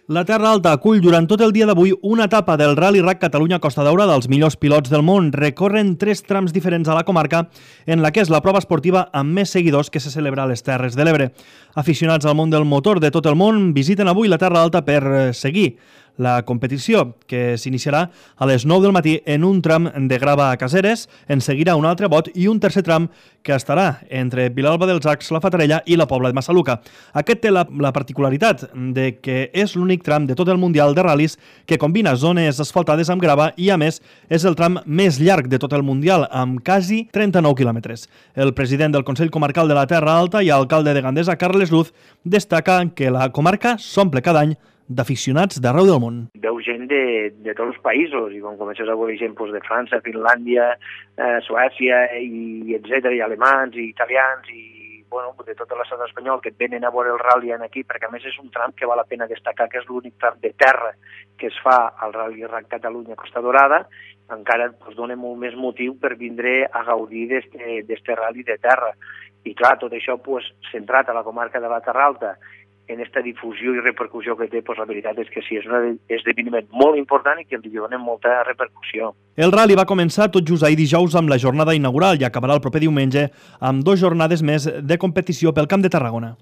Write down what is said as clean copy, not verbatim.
La Terra Alta acull durant tot el dia d'avui una etapa del Rally Rac Catalunya Costa Daurada dels millors pilots del món. Recorren 3 trams diferents a la comarca en la que és la prova esportiva amb més seguidors que se celebra a les Terres de l'Ebre. Aficionats al món del motor de tot el món visiten avui la Terra Alta per seguir la competició, que s'iniciarà a les 9 del matí en un tram de grava a Caseres, en seguirà un altre bot i un tercer tram que estarà entre Vilalba dels Arcs, la Fatarella i la Pobla de Massaluca. Aquest té la particularitat de que és l'únic tram de tot el Mundial de Ral·lis que combina zones asfaltades amb grava i, a més, és el tram més llarg de tot el Mundial, amb quasi 39 quilòmetres. El president del Consell Comarcal de la Terra Alta i alcalde de Gandesa, Carles Luz, destaca que la comarca s'omple cada any d'aficionats d'arreu del món. Veu gent de tots els països, i quan comences a veure gent de França, Finlàndia, Suècia, i etcètera, i alemans, i italians, i de tot l'estat espanyol, que et venen a veure el rally aquí, perquè a més és un tram que val la pena destacar, que és l'únic tram de terra que es fa al Rally Rac Catalunya Costa Daurada, encara dona molt més motiu per vindre a gaudir d'este rally de terra. I clar, tot això centrat a la comarca de la Terra Alta, en aquesta difusió i repercussió que té, la veritat és que sí, és un esdeveniment molt important i que li donen molta repercussió. El rally va començar tot just ahir dijous amb la jornada inaugural i acabarà el proper diumenge amb 2 jornades més de competició pel Camp de Tarragona.